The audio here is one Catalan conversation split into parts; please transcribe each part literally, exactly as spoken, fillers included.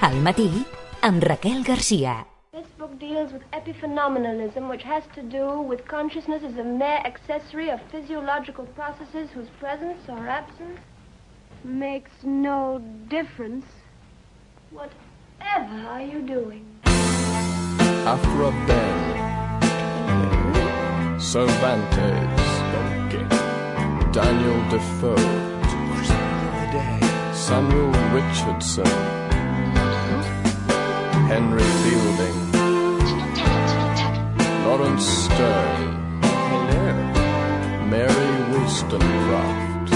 Al matí, amb Raquel Garcia. This book deals with epiphenomenalism, which has to do with consciousness as a mere accessory of physiological processes whose presence or absence makes no difference. Whatever are you doing? After a bend, Cervantes, Daniel Defoe, Samuel Richardson, Henry Fielding, Lawrence Stern, Mary Wollstonecraft,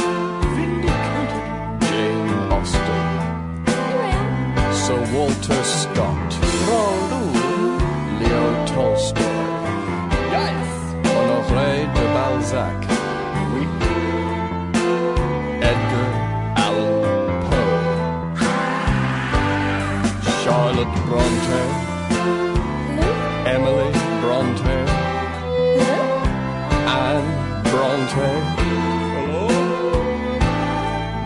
Jane Austen, Sir Walter Scott, Leo Tolstoy, Honoré de Balzac, Edgar Allan Poe, Charlotte Bronte, Emily Bronte, Anne Bronte,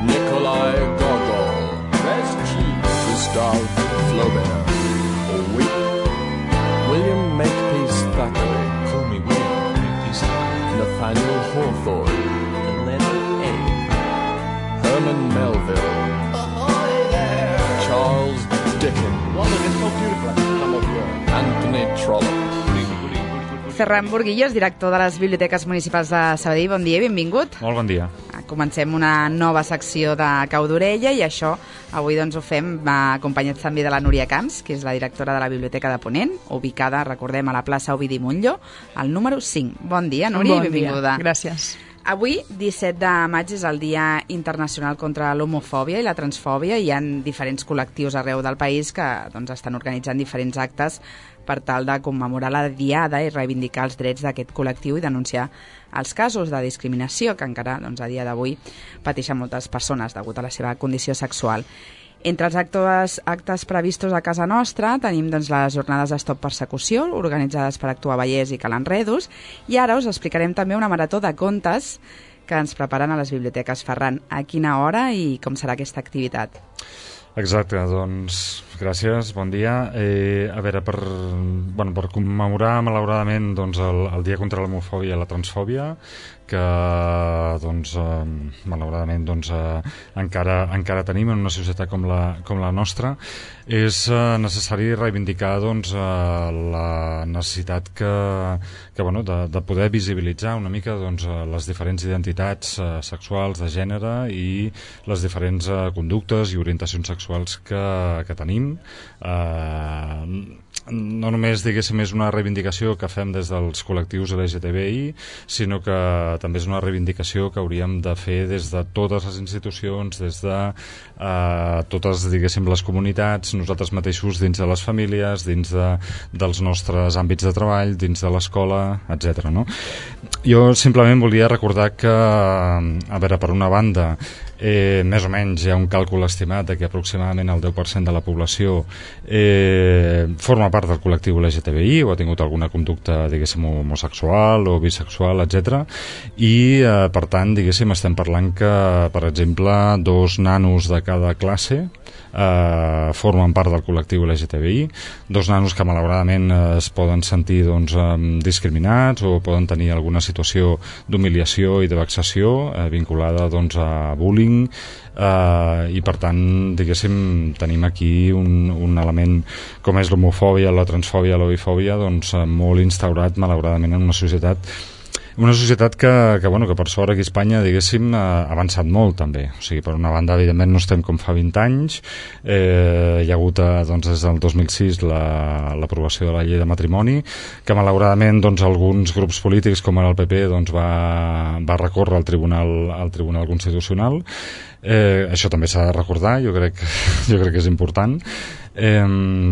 Nikolai Gogol, Gustave Flaubert, William Makepeace Thackeray, call me William Makepeace Thackeray, Nathaniel Hawthorne, Leonard A, Herman Melville, ahoy there, Charles Dickens, London is so beautiful, come up here, Anthony Trollope. Ferran Burguillos, director de les Biblioteques Municipals de Sabadell, bon dia i benvingut. Molt bon dia. Comencem una nova secció de Cau d'Orella i això avui doncs ho fem acompanyats també de la Núria Camps, que és la directora de la Biblioteca de Ponent, ubicada, recordem, a la plaça Ovidi Montllor, al número cinc. Bon dia, Núria, bon i benvinguda. Dia. Gràcies. Avui, disset de maig, és el Dia Internacional contra l'Homofòbia i la Transfòbia. Hi ha diferents col·lectius arreu del país que doncs, estan organitzant diferents actes per tal de commemorar la diada i reivindicar els drets d'aquest col·lectiu i denunciar els casos de discriminació que encara doncs, a dia d'avui pateixen moltes persones degut a la seva condició sexual. Entre els actes, actes previstos a casa nostra tenim doncs, les jornades de Stop Persecució, organitzades per Actuar Vallès i Calanredos, i ara us explicarem també una marató de contes que ens preparen a les biblioteques. Ferran, a quina hora i com serà aquesta activitat? Exacte, doncs gràcies, bon dia. Eh, a veure, per, bueno, per commemorar malauradament doncs, el, el Dia contra l'Homofòbia i la Transfòbia, que doncs, eh, malauradament doncs, eh, encara, encara tenim en una societat com la, com la nostra, és eh, necessari reivindicar doncs, eh, la necessitat que, que, bueno, de, de poder visibilitzar una mica doncs, les diferents identitats eh, sexuals de gènere i les diferents eh, conductes i orientacions sexuals que, que tenim. Eh, no només, diguéssim, és una reivindicació que fem des dels col·lectius L G T B I, sinó que també és una reivindicació que hauríem de fer des de totes les institucions, des de eh, totes, diguéssim, les comunitats, nosaltres mateixos dins de les famílies, dins de, dels nostres àmbits de treball, dins de l'escola, etcètera. No? Jo simplement volia recordar que, a veure, per una banda, Eh, més o menys hi ha un càlcul estimat de que aproximadament el deu per cent de la població eh, forma part del col·lectiu L G T B I o ha tingut alguna conducta, diguéssim, homosexual o bisexual, etcètera. I, eh, per tant, diguéssim, estem parlant que, per exemple, dos nanos de cada classe eh, formen part del col·lectiu L G T B I, dos nanos que malauradament eh, es poden sentir doncs, eh, discriminats o poden tenir alguna situació d'humiliació i de vexació eh, vinculada doncs, a bullying. Uh, i per tant, diguéssim, tenim aquí un, un element com és l'homofòbia, la transfòbia, la bifòbia, doncs molt instaurat malauradament en una societat una societat que, que, bueno, que per sort aquí a Espanya, diguéssim, ha avançat molt també. O sigui, per una banda, evidentment no estem com fa vint anys, eh, hi ha hagut doncs, des del dos mil sis la, l'aprovació de la llei de matrimoni, que malauradament doncs, alguns grups polítics com ara el P P doncs, va, va recórrer al Tribunal, al Tribunal Constitucional. Eh, això també s'ha de recordar, jo crec, jo crec que és important, eh,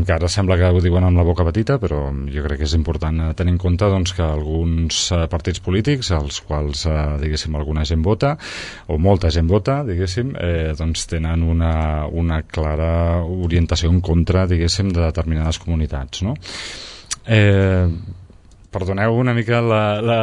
que ara sembla que ho diuen amb la boca petita, però jo crec que és important tenir en compte doncs, que alguns eh, partits polítics, als quals eh, diguéssim alguna gent vota, o molta gent vota, diguéssim, eh, doncs tenen una, una clara orientació en contra, diguéssim, de determinades comunitats, no? Eh, perdoneu una mica la... la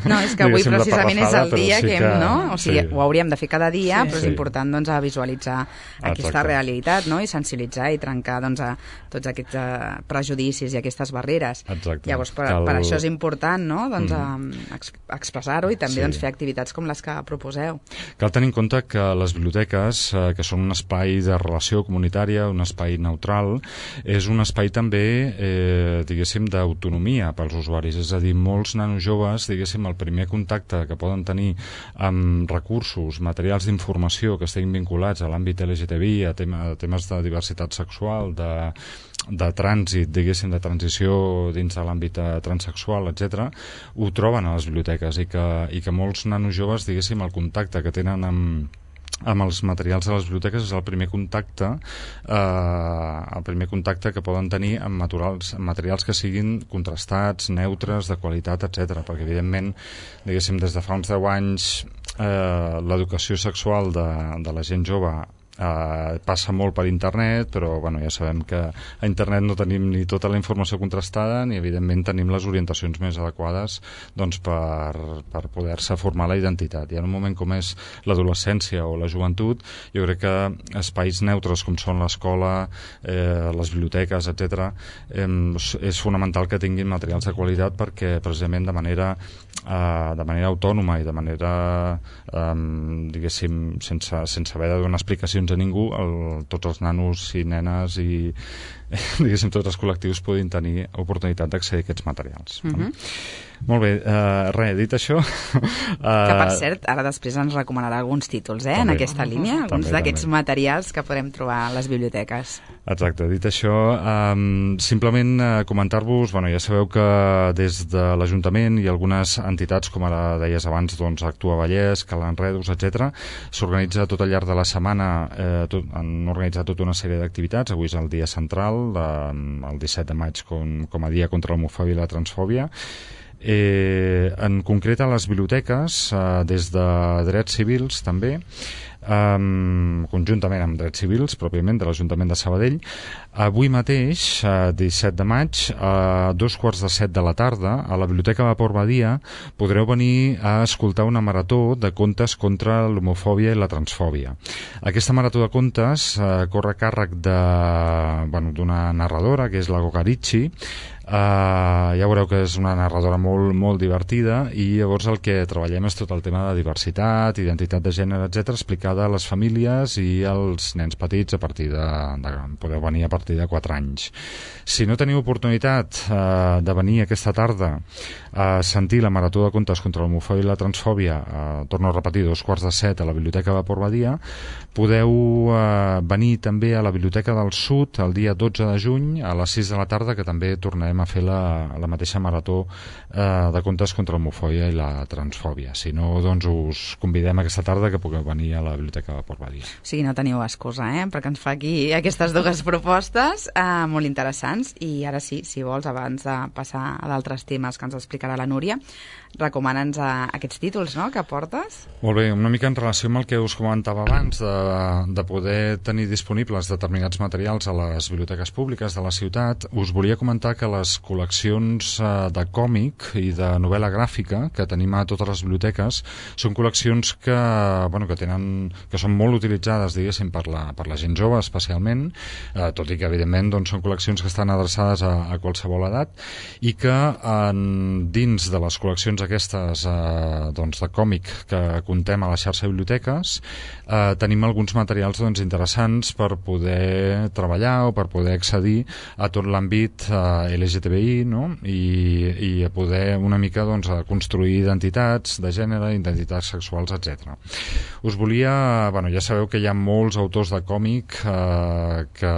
no, és que avui precisament és el dia sí que, que... no? O sigui, sí. Ho hauríem de fer cada dia, sí, però és sí. important doncs, a visualitzar Exacte. Aquesta realitat, no? I sensibilitzar i trencar doncs, a tots aquests uh, prejudicis i aquestes barreres. Exacte. Llavors, per, Cal... per això és important, no? Doncs, mm. a, a expressar-ho i també sí. doncs, fer activitats com les que proposeu. Cal tenir en compte que les biblioteques, eh, que són un espai de relació comunitària, un espai neutral, és un espai també, eh, diguéssim, d'autonomia pels usuaris. És a dir, molts nanos joves, diguéssim, el primer contacte que poden tenir amb recursos, materials d'informació que estiguin vinculats a l'àmbit L G T B I, a, tema, a temes de diversitat sexual, de, de trànsit, diguéssim, de transició dins de l'àmbit transsexual, etcètera, ho troben a les biblioteques i que, i que molts nanos joves, diguéssim, el contacte que tenen amb amb els materials de les biblioteques és el primer contacte eh, el primer contacte que poden tenir amb materials, amb materials que siguin contrastats, neutres, de qualitat, etcètera. Perquè evidentment, diguéssim, des de fa uns deu anys eh, l'educació sexual de, de la gent jove Uh, passa molt per internet, però bueno, ja sabem que a internet no tenim ni tota la informació contrastada ni evidentment tenim les orientacions més adequades doncs, per, per poder-se formar la identitat. I en un moment com és l'adolescència o la joventut, jo crec que espais neutres com són l'escola, eh, les biblioteques, etcètera, eh, és fonamental que tinguin materials de qualitat perquè precisament de manera Uh, de manera autònoma i de manera um, diguéssim sense, sense haver de donar explicacions a ningú, el, tots els nanos i nenes i diguéssim tots els col·lectius puguin tenir oportunitat d'accedir a aquests materials. Uh-huh. Molt bé, uh, res, dit això uh, que per cert, ara després ens recomanarà alguns títols eh, també, en aquesta línia, alguns d'aquests materials que podem trobar a les biblioteques. Exacte, dit això um, simplement uh, comentar-vos, bueno, ja sabeu que des de l'Ajuntament i algunes entitats, com ara deies abans, doncs Actua Vallès, Cal Enredos, etcètera, s'organitza tot al llarg de la setmana, eh, tot, han organitzat tota una sèrie d'activitats. Avui és el dia central, de, el disset de maig, com, com a dia contra l'homofòbia i la transfòbia. Eh, en concret a les biblioteques, eh, des de drets civils també, Um, conjuntament amb drets civils pròpiament de l'Ajuntament de Sabadell, avui mateix, uh, disset de maig, a dos quarts de set de la tarda, a la Biblioteca Vapor Badia podreu venir a escoltar una marató de contes contra l'homofòbia i la transfòbia. Aquesta marató de contes uh, corre a càrrec de, bueno, d'una narradora que és la Gogarichi. Uh, ja veureu que és una narradora molt, molt divertida i llavors el que treballem és tot el tema de diversitat, identitat de gènere, etcètera, explicada a les famílies i als nens petits a partir de, de podeu venir a partir de quatre anys. Si no teniu oportunitat uh, de venir aquesta tarda a sentir la marató de contes contra l'homofòbia i la transfòbia, uh, torno a repetir, dos quarts de set a la Biblioteca Vapor Badia, podeu uh, venir també a la Biblioteca del Sud el dia dotze de juny a les sis de la tarda, que també tornarem a fer la, la mateixa marató eh, de contes contra l'homofòbia i la transfòbia. Si no, doncs us convidem aquesta tarda que pugueu venir a la Biblioteca de Port Badia. O sigui, no teniu excusa, eh?, perquè ens fa aquí aquestes dues propostes eh, molt interessants. I ara sí, si vols, abans de passar a d'altres temes que ens explicarà la Núria, recomana'ns a aquests títols, no?, que portes. Molt bé, una mica en relació amb el que us comentava abans, de, de poder tenir disponibles determinats materials a les biblioteques públiques de la ciutat, us volia comentar que les col·leccions eh, de còmic i de novel·la gràfica que tenim a totes les biblioteques són col·leccions que, bueno, que, tenen, que són molt utilitzades, diguéssim, per la, per la gent jove especialment, eh, tot i que evidentment doncs, són col·leccions que estan adreçades a, a qualsevol edat i que en, dins de les col·leccions aquestes eh, doncs, de còmic que contem a la xarxa de biblioteques eh, tenim alguns materials doncs, interessants per poder treballar o per poder accedir a tot l'àmbit eh, L G T B I, no? I, i a poder una mica doncs, a construir identitats de gènere, identitats sexuals, etcètera. Us volia, bueno, ja sabeu que hi ha molts autors de còmic eh, que,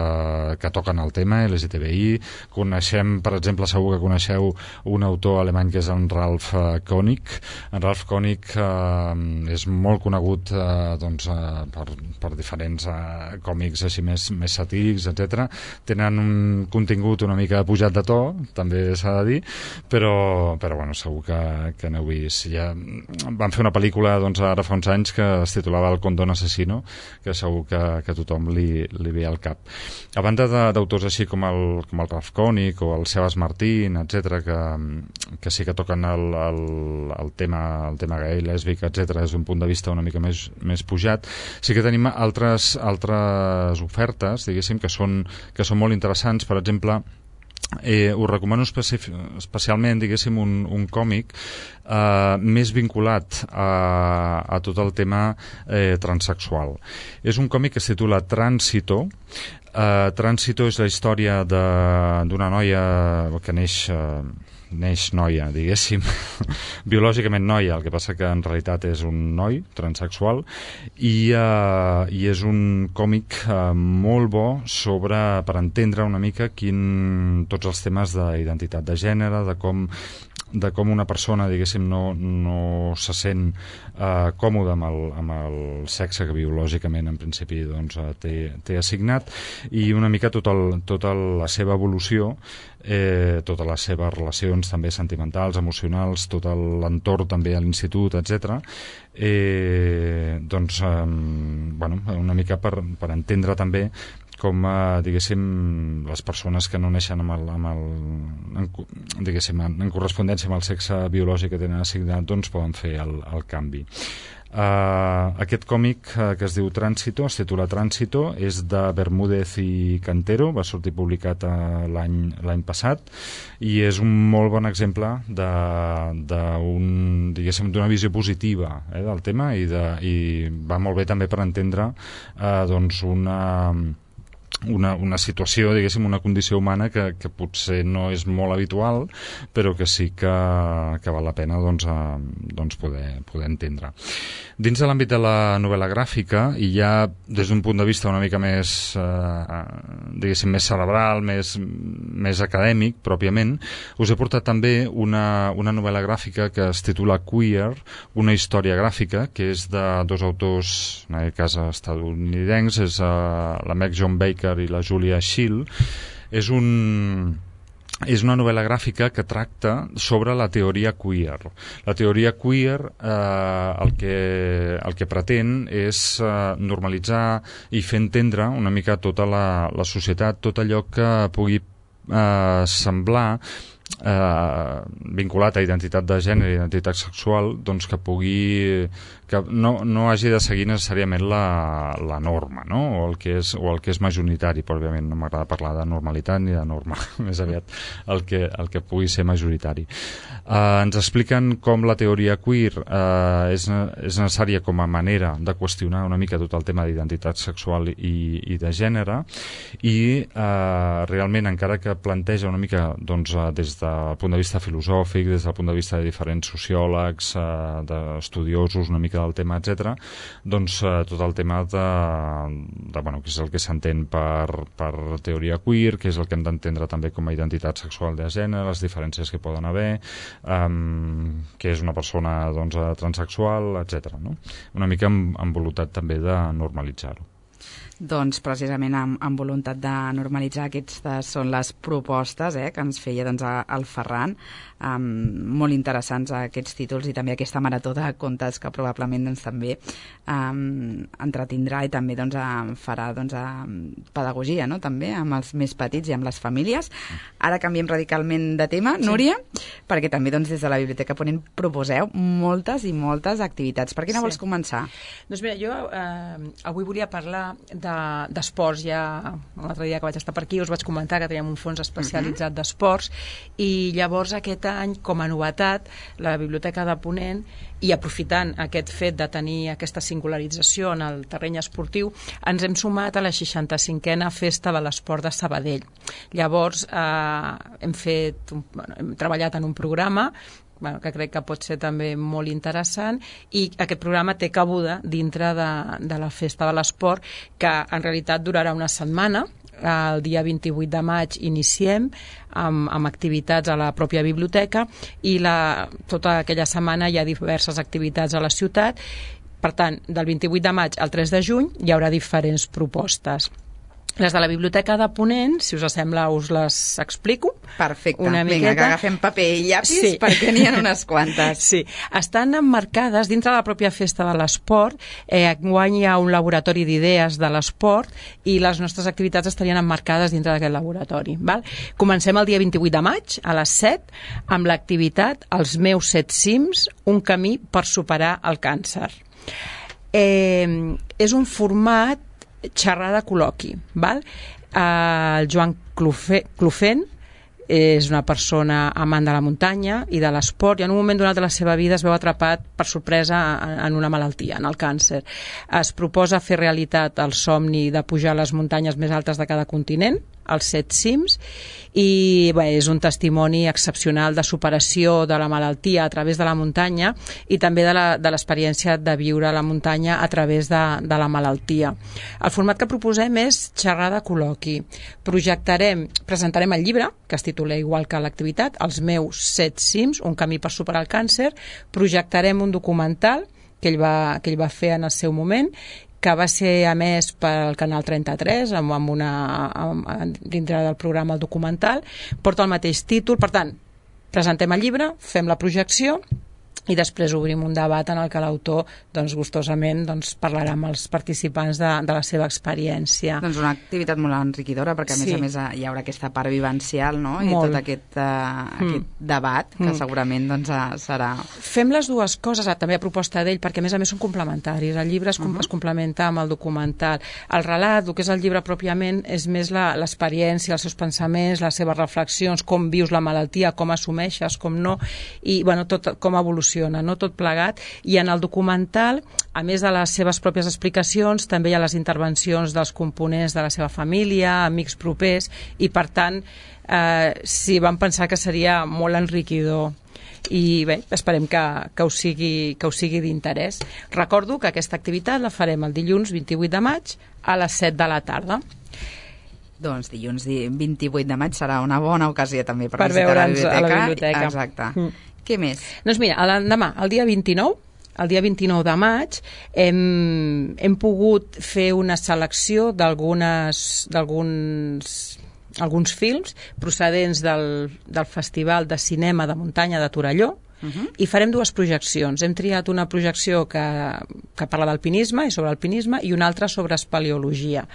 que toquen el tema L G T B I. Coneixem, per exemple, segur que coneixeu un autor alemany que és en Ralf Koenig. En Ralf Koenig eh, és molt conegut eh, doncs, eh, per, per diferents eh, còmics així més, més satírics, etcètera. Tenen un contingut una mica pujat de to, també s'ha de dir, però, però bueno, segur que, que n'heu vist. Ja van fer una pel·lícula doncs, ara fa uns anys que es titulava El condón asesino, que segur que, que tothom li, li ve al cap. A banda darrere d'autors així com el, com el Ralph Koenig o el Sebas Martín, etcètera, que, que sí que toquen el, el, el tema el tema gay, lèsbic, etcètera, des d'un punt de vista una mica més, més pujat, sí que tenim altres, altres ofertes, diguéssim, que són, que són molt interessants. Per exemple, Eh, us recomano especialment, diguéssim, un, un còmic eh, més vinculat a, a tot el tema eh, transsexual. És un còmic que es titula Tránsito. Eh, Tránsito és la història d'una noia que neix... Eh, neix noia, diguéssim, biològicament noia, el que passa que en realitat és un noi transsexual, i, uh, i és un còmic uh, molt bo sobre, per entendre una mica quin, tots els temes d'identitat de gènere, de com de com una persona, diguéssim, no, no se sent eh, còmode amb el, amb el sexe que biològicament en principi doncs, té, té assignat, i una mica tota tot la seva evolució, eh, totes les seves relacions també sentimentals, emocionals, tot l'entorn també a l'institut, etcètera. Eh, doncs, eh, bueno, una mica per, per entendre també com, eh, diguéssim, les persones que no neixen amb el, amb el, en, diguéssim, en, en correspondència amb el sexe biològic que tenen assignat, doncs poden fer el, el canvi. Uh, aquest còmic uh, que es diu Tránsito, es titula Tránsito, és de Bermúdez i Cantero, va sortir publicat uh, l'any l'any passat, i és un molt bon exemple de, de un, diguéssim, d'una visió positiva eh, del tema, i, de, i va molt bé també per entendre uh, doncs una Una, una situació, diguéssim, una condició humana que, que potser no és molt habitual, però que sí que, que val la pena doncs, a, doncs poder, poder entendre. Dins de l'àmbit de la novel·la gràfica, i ja des d'un punt de vista una mica més, eh, diguéssim, més cerebral, més, més acadèmic, pròpiament, us he portat també una, una novel·la gràfica que es titula Queer, una història gràfica, que és de dos autors, en aquest cas estadounidencs, és uh, la Meg John Baker i la Julia Schill. És un... és una novel·la gràfica que tracta sobre la teoria queer. La teoria queer eh, el, que, el que pretén és eh, normalitzar i fer entendre una mica tota la, la societat, tot allò que pugui eh, semblar eh, vinculat a identitat de gènere i identitat sexual, doncs que pugui que no, no hagi de seguir necessàriament la, la norma, no? o, el que és, o el que és majoritari, però òbviament no m'agrada parlar de normalitat ni de norma, més aviat el que, el que pugui ser majoritari. Eh, ens expliquen com la teoria queer eh, és, és necessària com a manera de qüestionar una mica tot el tema d'identitat sexual i, i de gènere, i eh, realment, encara que planteja una mica doncs, des del punt de vista filosòfic, des del punt de vista de diferents sociòlegs, eh, d'estudiosos una mica del tema, etcètera, doncs eh, tot el tema de, de bueno, que és el que s'entén per, per teoria queer, que és el que hem d'entendre també com a identitat sexual de gènere, les diferències que poden haver, um, que és una persona doncs, transsexual, etcètera. No? Una mica amb, amb voluntat també de normalitzar-ho. Doncs precisament amb, amb voluntat de normalitzar, aquestes són les propostes eh, que ens feia doncs, el Ferran, um, molt interessants aquests títols i també aquesta marató de contes que probablement doncs, també um, entretindrà i també doncs, farà doncs, pedagogia, no? També amb els més petits i amb les famílies. Ara canviem radicalment de tema, sí. Núria, perquè també doncs, des de la Biblioteca Ponent proposeu moltes i moltes activitats. Per quina sí. vols començar? Doncs mira, jo eh, avui volia parlar d'esports. De, ja l'altre dia que vaig estar per aquí us vaig comentar que teníem un fons especialitzat uh-huh. d'esports, i llavors aquest any, com a novetat, la Biblioteca de Ponent, i aprofitant aquest fet de tenir aquesta singularització en el terreny esportiu, ens hem sumat a la seixanta-cinquena Festa de l'Esport de Sabadell. Llavors eh, hem, fet, bueno, hem treballat en un programa Bueno, que crec que pot ser també molt interessant, i aquest programa té cabuda dintre de, de la Festa de l'Esport, que en realitat durarà una setmana. El dia vint-i-vuit de maig iniciem amb, amb activitats a la pròpia biblioteca, i la, tota aquella setmana hi ha diverses activitats a la ciutat. Per tant, del vint-i-vuit de maig al tres de juny hi haurà diferents propostes. Les de la Biblioteca de Ponent, si us sembla, us les explico. Perfecte. Una Vinga, miqueta. que agafem paper i llapis, Sí. perquè n'hi ha unes quantes. Sí, estan emmarcades dintre de la pròpia festa de l'esport. Eh, enguany hi ha un laboratori d'idees de l'esport i les nostres activitats estarien emmarcades dintre d'aquest laboratori. Val? Comencem el dia vint-i-vuit de maig, a les set, amb l'activitat Els meus set cims, un camí per superar el càncer. Eh, és un format xerrada col·loqui, val? Uh, el Joan Clofe, Clofent és una persona amant de la muntanya i de l'esport, i en un moment donat de la seva vida es veu atrapat per sorpresa en una malaltia, en el càncer. Es proposa fer realitat el somni de pujar a les muntanyes més altes de cada continent, els set cims, i bé, és un testimoni excepcional de superació de la malaltia a través de la muntanya i també de l'experiència de viure a la muntanya a través de, de la malaltia. El format que proposem és xerrada col·loqui. Projectarem, presentarem el llibre, que es titula igual que l'activitat, Els meus set cims, un camí per superar el càncer. Projectarem un documental que ell va, que ell va fer en el seu moment, que va ser emès pel Canal trenta-tres amb, amb una, amb, dintre del programa El Documental, porta el mateix títol. Per tant, presentem el llibre, fem la projecció i després obrim un debat en el que l'autor doncs, gustosament doncs, parlarà amb els participants de, de la seva experiència. Doncs una activitat molt enriquidora, perquè a més sí. a més hi haurà aquesta part vivencial, no? I molt. tot aquest, uh, aquest mm. debat que mm. segurament doncs, serà... Fem les dues coses, també a proposta d'ell, perquè a més a més són complementaris. El llibre es, uh -huh. es complementa amb el documental. El relat, el que és el llibre pròpiament, és més l'experiència, els seus pensaments, les seves reflexions, com vius la malaltia, com assumeixes, com no, i bueno, tot, com evoluciona, no? Tot plegat. I en el documental, a més de les seves pròpies explicacions, també hi ha les intervencions dels components de la seva família, amics propers, i per tant eh, sí, vam pensar que seria molt enriquidor i bé, esperem que, que us sigui, que us sigui d'interès. Recordo que aquesta activitat la farem el dilluns vint-i-vuit de maig a les set de la tarda. Doncs dilluns vint-i-vuit de maig serà una bona ocasió també per, per visitar la biblioteca. a la biblioteca. Exacte. Mm. Què més? Doncs mira, l'endemà, el dia vint-i-nou, el dia vint-i-nou de maig, hem, hem pogut fer una selecció d'algunes d'alguns alguns films procedents del, del Festival de Cinema de Muntanya de Torelló, Uh -huh. i farem dues projeccions. Hem triat una projecció que, que parla d'alpinisme i sobre alpinisme i una altra sobre espeleologia.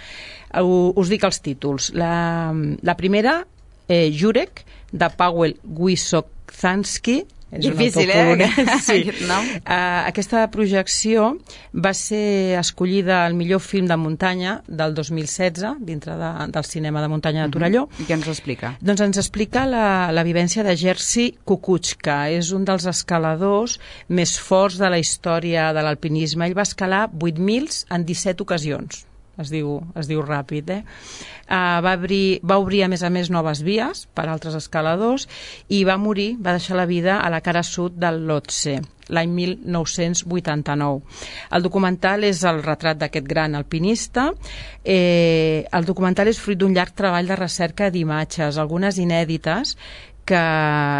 Us dic els títols. La, la primera, eh, Jurek, de Paweł Wysocki. És difícil, eh? Sí. No? Uh, aquesta projecció va ser escollida el millor film de muntanya del dos mil setze dintre de, del cinema de muntanya de Torelló. Uh-huh. I què ens explica? Doncs ens explica la, la vivència de Jerzy Kukuczka. És un dels escaladors més forts de la història de l'alpinisme. Ell va escalar vuit mil en disset ocasions. Es diu, es diu ràpid, eh? Uh, va, obrir, va obrir, a més a més, noves vies per a altres escaladors i va morir, va deixar la vida a la cara sud del Lhotse, l'any mil nou-cents vuitanta-nou. El documental és el retrat d'aquest gran alpinista. Eh, el documental és fruit d'un llarg treball de recerca d'imatges, algunes inèdites, que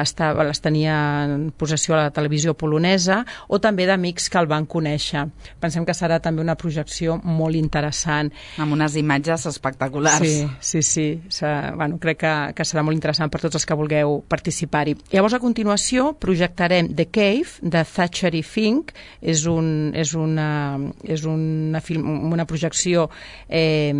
estava, les tenia en possessió a la televisió polonesa, o també d'amics que el van conèixer. Pensem que serà també una projecció molt interessant. Amb unes imatges espectaculars. Sí, sí, sí. Bueno, crec que, que serà molt interessant per tots els que vulgueu participar-hi. Llavors, a continuació, projectarem The Cave, de Zachary Fink. És, un, és, una, és una, film, una projecció eh,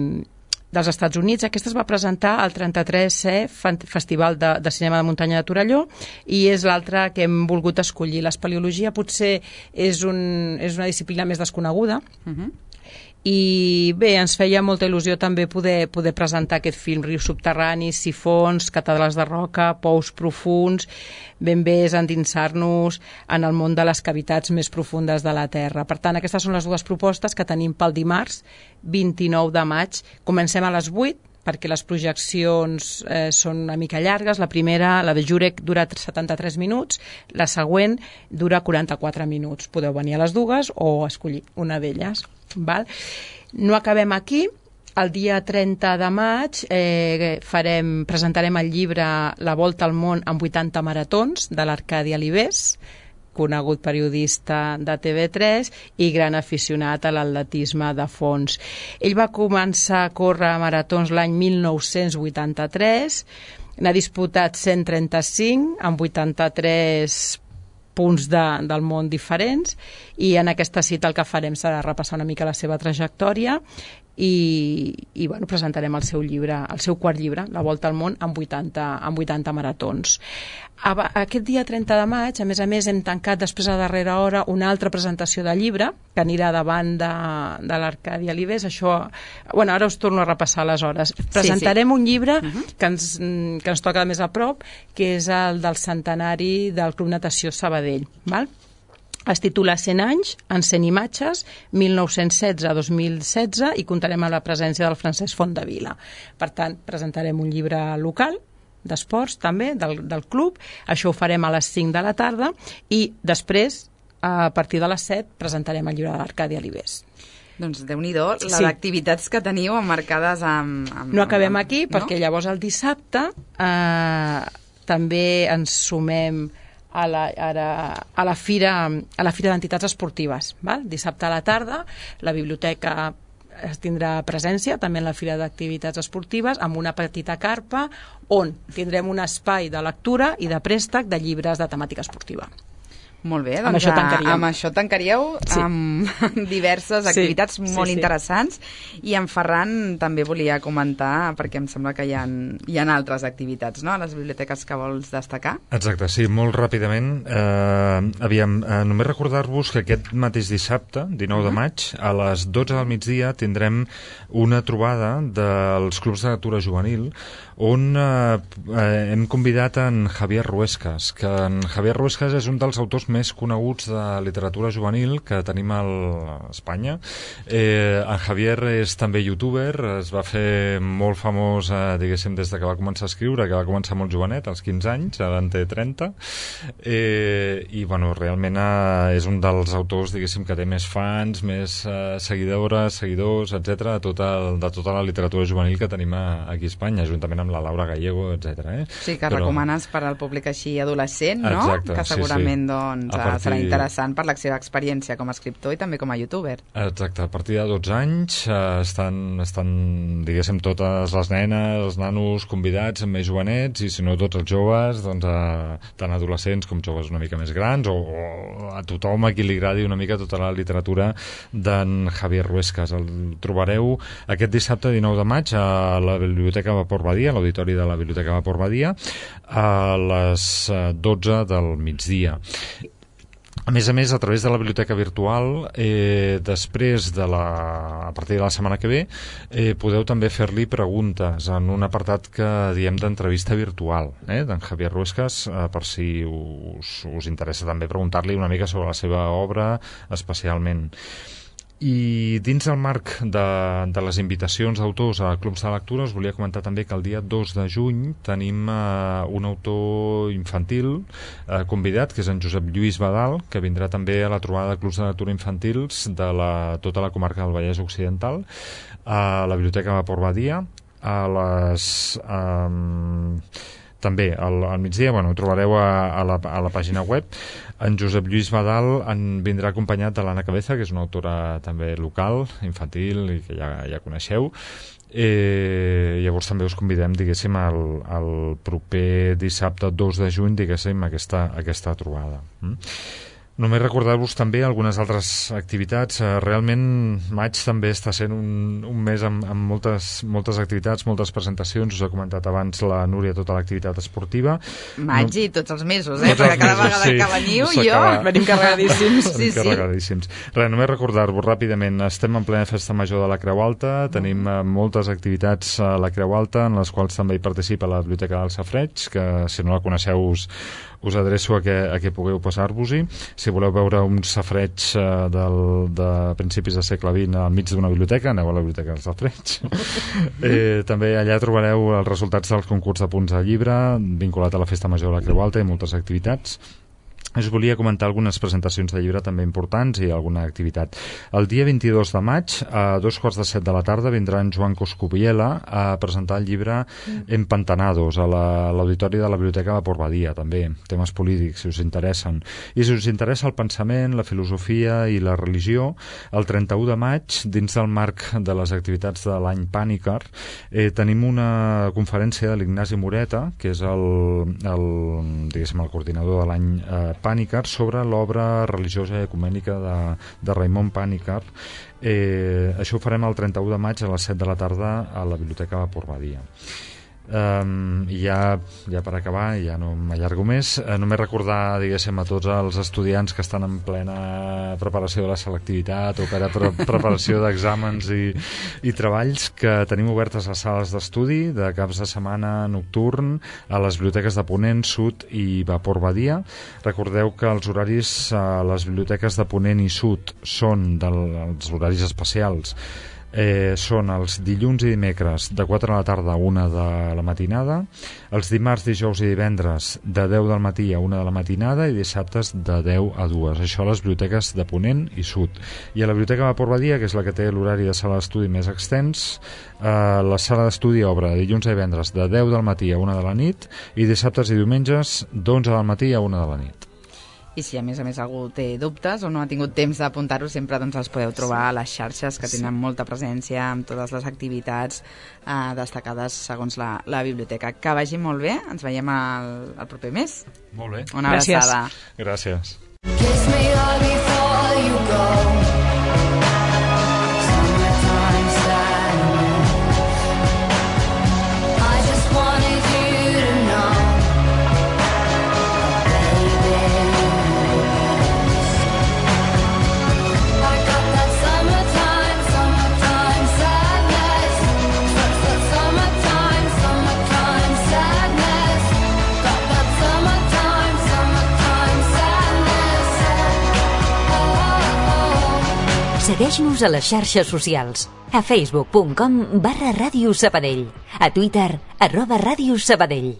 dels Estats Units. Aquesta es va presentar al trenta-tresè Festival de, de Cinema de Muntanya de Torelló i és l'altra que hem volgut escollir. L'espeleologia potser és, un, és una disciplina més desconeguda, uh-huh. i bé, ens feia molta il·lusió també poder, poder presentar aquest film. Rius subterranis, sifons, catedrals de roca, pous profuns. Ben bé és endinsar-nos en el món de les cavitats més profundes de la Terra. Per tant, aquestes són les dues propostes que tenim pel dimarts vint-i-nou de maig. Comencem a les vuit, perquè les projeccions eh, són una mica llargues. La primera, la de Jurek, dura setanta-tres minuts, la següent dura quaranta-quatre minuts. Podeu venir a les dues o escollir una d'elles. Val? No acabem aquí. El dia trenta de maig eh, farem, presentarem el llibre La volta al món en vuitanta maratons, de l'Arcadi Alibés, conegut periodista de T V tres i gran aficionat a l'atletisme de fons. Ell va començar a córrer maratons l'any mil nou-cents vuitanta-tres, n'ha disputat cent trenta-cinc amb vuitanta-tres punts de, del món diferents, i en aquesta cita el que farem serà repassar una mica la seva trajectòria i, i bueno, presentarem el seu llibre, el seu quart llibre, La volta al món en vuitanta, en vuitanta maratons. Aquest dia trenta de maig, a més a més, hem tancat després a darrera hora una altra presentació de llibre que anirà davant de, de l'Arcadi Alibés. Això, bueno, ara us torno a repassar les hores. Presentarem sí, sí. un llibre uh-huh. que, ens, que ens toca més a prop, que és el del centenari del Club Natació Sabadell, val? Es titula cent anys en cent imatges, mil nou-cents setze a dos mil setze, i comptarem amb la presència del Francesc Fontdevila. Per tant, presentarem un llibre local d'esports també, del, del club. Això ho farem a les cinc de la tarda i després, a partir de les set, presentarem el llibre de l'Arcadi Alibés. Doncs Déu-n'hi-do, les Sí. activitats que teniu emmarcades amb... amb No acabem amb, aquí, no? perquè llavors el dissabte eh, també ens sumem a la, ara, a la fira, a la fira d'entitats esportives. Val? Dissabte a la tarda, la biblioteca es tindrà presència també en la fira d'activitats esportives amb una petita carpa on tindrem un espai de lectura i de préstec de llibres de temàtica esportiva. Molt bé, Amb doncs això tancaríem. amb això tancaríeu Sí. amb diverses activitats Sí, sí, molt sí. interessants, i en Ferran també volia comentar, perquè em sembla que hi ha, hi ha altres activitats, no?, a les biblioteques que vols destacar. Exacte, sí, molt ràpidament. Eh, aviam, eh, només recordar-vos que aquest mateix dissabte, dinou de maig, a les dotze del migdia tindrem una trobada dels clubs de lectura juvenil on eh, eh, hem convidat en Javier Ruescas, que en Javier Ruescas és un dels autors més coneguts de literatura juvenil que tenim a Espanya. Eh, en Javier és també youtuber, es va fer molt famós, eh, diguéssim, des de que va començar a escriure, que va començar molt jovenet, als quinze anys, ara en té trenta, eh, i bueno, realment eh, és un dels autors, diguéssim, que té més fans, més eh, seguidores, seguidors, etcètera, de tota, de tota la literatura juvenil que tenim a, aquí a Espanya, juntament amb la Laura Gallego, etcètera. Eh? Sí, que Però... recomanes per al públic així adolescent, no? Exacte, que sí, segurament sí. doncs, A partir- serà interessant per la seva experiència com a escriptor i també com a youtuber. Exacte, a partir de dotze anys eh, estan, estan, diguéssim, totes les nenes, els nanos convidats, més jovenets, i si no tots els joves, doncs, eh, tant adolescents com joves una mica més grans, o, o a tothom a qui li agradi una mica tota la literatura d'en Javier Ruescas. El trobareu aquest dissabte dinou de maig a la Biblioteca Vapor Badia, a l'auditori de la Biblioteca Vapor Badia, a les dotze del migdia. A més a més, a través de la biblioteca virtual, eh, després de la, a partir de la setmana que ve, eh, podeu també fer-li preguntes en un apartat que diem d'entrevista virtual, eh, d'en Javier Ruescas, eh, per si us, us interessa també preguntar-li una mica sobre la seva obra, especialment. I dins del marc de, de les invitacions d'autors a clubs de lectura, us volia comentar també que el dia dos de juny tenim eh, un autor infantil eh, convidat, que és en Josep Lluís Badal, que vindrà també a la trobada de clubs de lectura infantils de la, tota la comarca del Vallès Occidental, a la Biblioteca Vapor Badia, a les... Eh, també al, al migdia, bueno, ho trobareu a, a, la, a la pàgina web. En Josep Lluís Badal en vindrà acompanyat de l'Anna Cabeza, que és una autora també local, infantil, i que ja, ja coneixeu. Eh, llavors també us convidem, diguéssim, al, al proper dissabte dos de juny, diguéssim, aquesta, aquesta trobada. Mm? Només recordar-vos també algunes altres activitats. Realment maig també està sent un, un mes amb, amb moltes, moltes activitats, moltes presentacions. Us he comentat abans la Núria tota l'activitat esportiva. Maig No... i tots els mesos, eh? Tots Perquè els cada mesos, vegada sí. que veniu S'acaba. jo... Venim carregadíssims. Sí, sí. Carregadíssims. Res, només recordar-vos ràpidament, estem en plena festa major de la Creu Alta, tenim eh, moltes activitats a la Creu Alta, en les quals també hi participa la Biblioteca del Safareig, que si no la coneixeu us, us adreço a que, a que pugueu passar-vos-hi. Si voleu veure un safareig eh, del, de principis del segle vint al mig d'una biblioteca, aneu a la Biblioteca del Safareig. eh, també allà trobareu els resultats dels concurs de punts de llibre vinculat a la Festa Major de la Creu Alta i moltes activitats. us volia comentar algunes presentacions de llibre també importants i alguna activitat. El dia vint-i-dos de maig, a dos quarts de set de la tarda, vindrà en Joan Coscubiela a presentar el llibre Empantanados a l'auditori de la Biblioteca de Port Badia, també, temes polítics, si us interessen. I si us interessa el pensament, la filosofia i la religió, el trenta-u de maig, dins del marc de les activitats de l'any Pànicar, eh, tenim una conferència de l'Ignasi Moreta, que és el, el, diguéssim, el coordinador de l'any eh, Pànicar, sobre l'obra religiosa i ecumènica de, de Raimon Pànicar. Eh, això ho farem el trenta-u de maig a les set de la tarda a la Biblioteca de Port Badia. Um, i ja, ja per acabar, ja no m'allargo més, uh, només recordar, diguéssim, a tots els estudiants que estan en plena preparació de la selectivitat o per a pre preparació d'exàmens i, i treballs, que tenim obertes les sales d'estudi de caps de setmana nocturn a les biblioteques de Ponent, Sud i Port Badia. Recordeu que els horaris a les biblioteques de Ponent i Sud són dels horaris especials. Eh, són els dilluns i dimecres de quatre de la tarda a una de la matinada, els dimarts, dijous i divendres de deu del matí a una de la matinada i dissabtes de deu a dues. Això a les biblioteques de Ponent i Sud. I a la biblioteca de Port Badia, que és la que té l'horari de sala d'estudi més extens, eh, la sala d'estudi obre dilluns i divendres de deu del matí a una de la nit i dissabtes i diumenges d'onze del matí a una de la nit. I si a més a més algú té dubtes o no ha tingut temps d'apuntar-ho, sempre doncs, els podeu trobar a les xarxes, que tenen molta presència amb totes les activitats eh, destacades segons la, la biblioteca. Que vagi molt bé, ens veiem el, el proper mes. Molt bé. Una abraçada. Gràcies. Kiss me all before you go. Summertime sadness. I just wanted you to know, baby. I got that summertime, summertime sadness. That's that summertime, summertime sadness. Got that summertime, summertime sadness. Segueix-nos a les xarxes socials. A facebook punt com barra Ràdio Sabadell. A Twitter, arroba Ràdio Sabadell.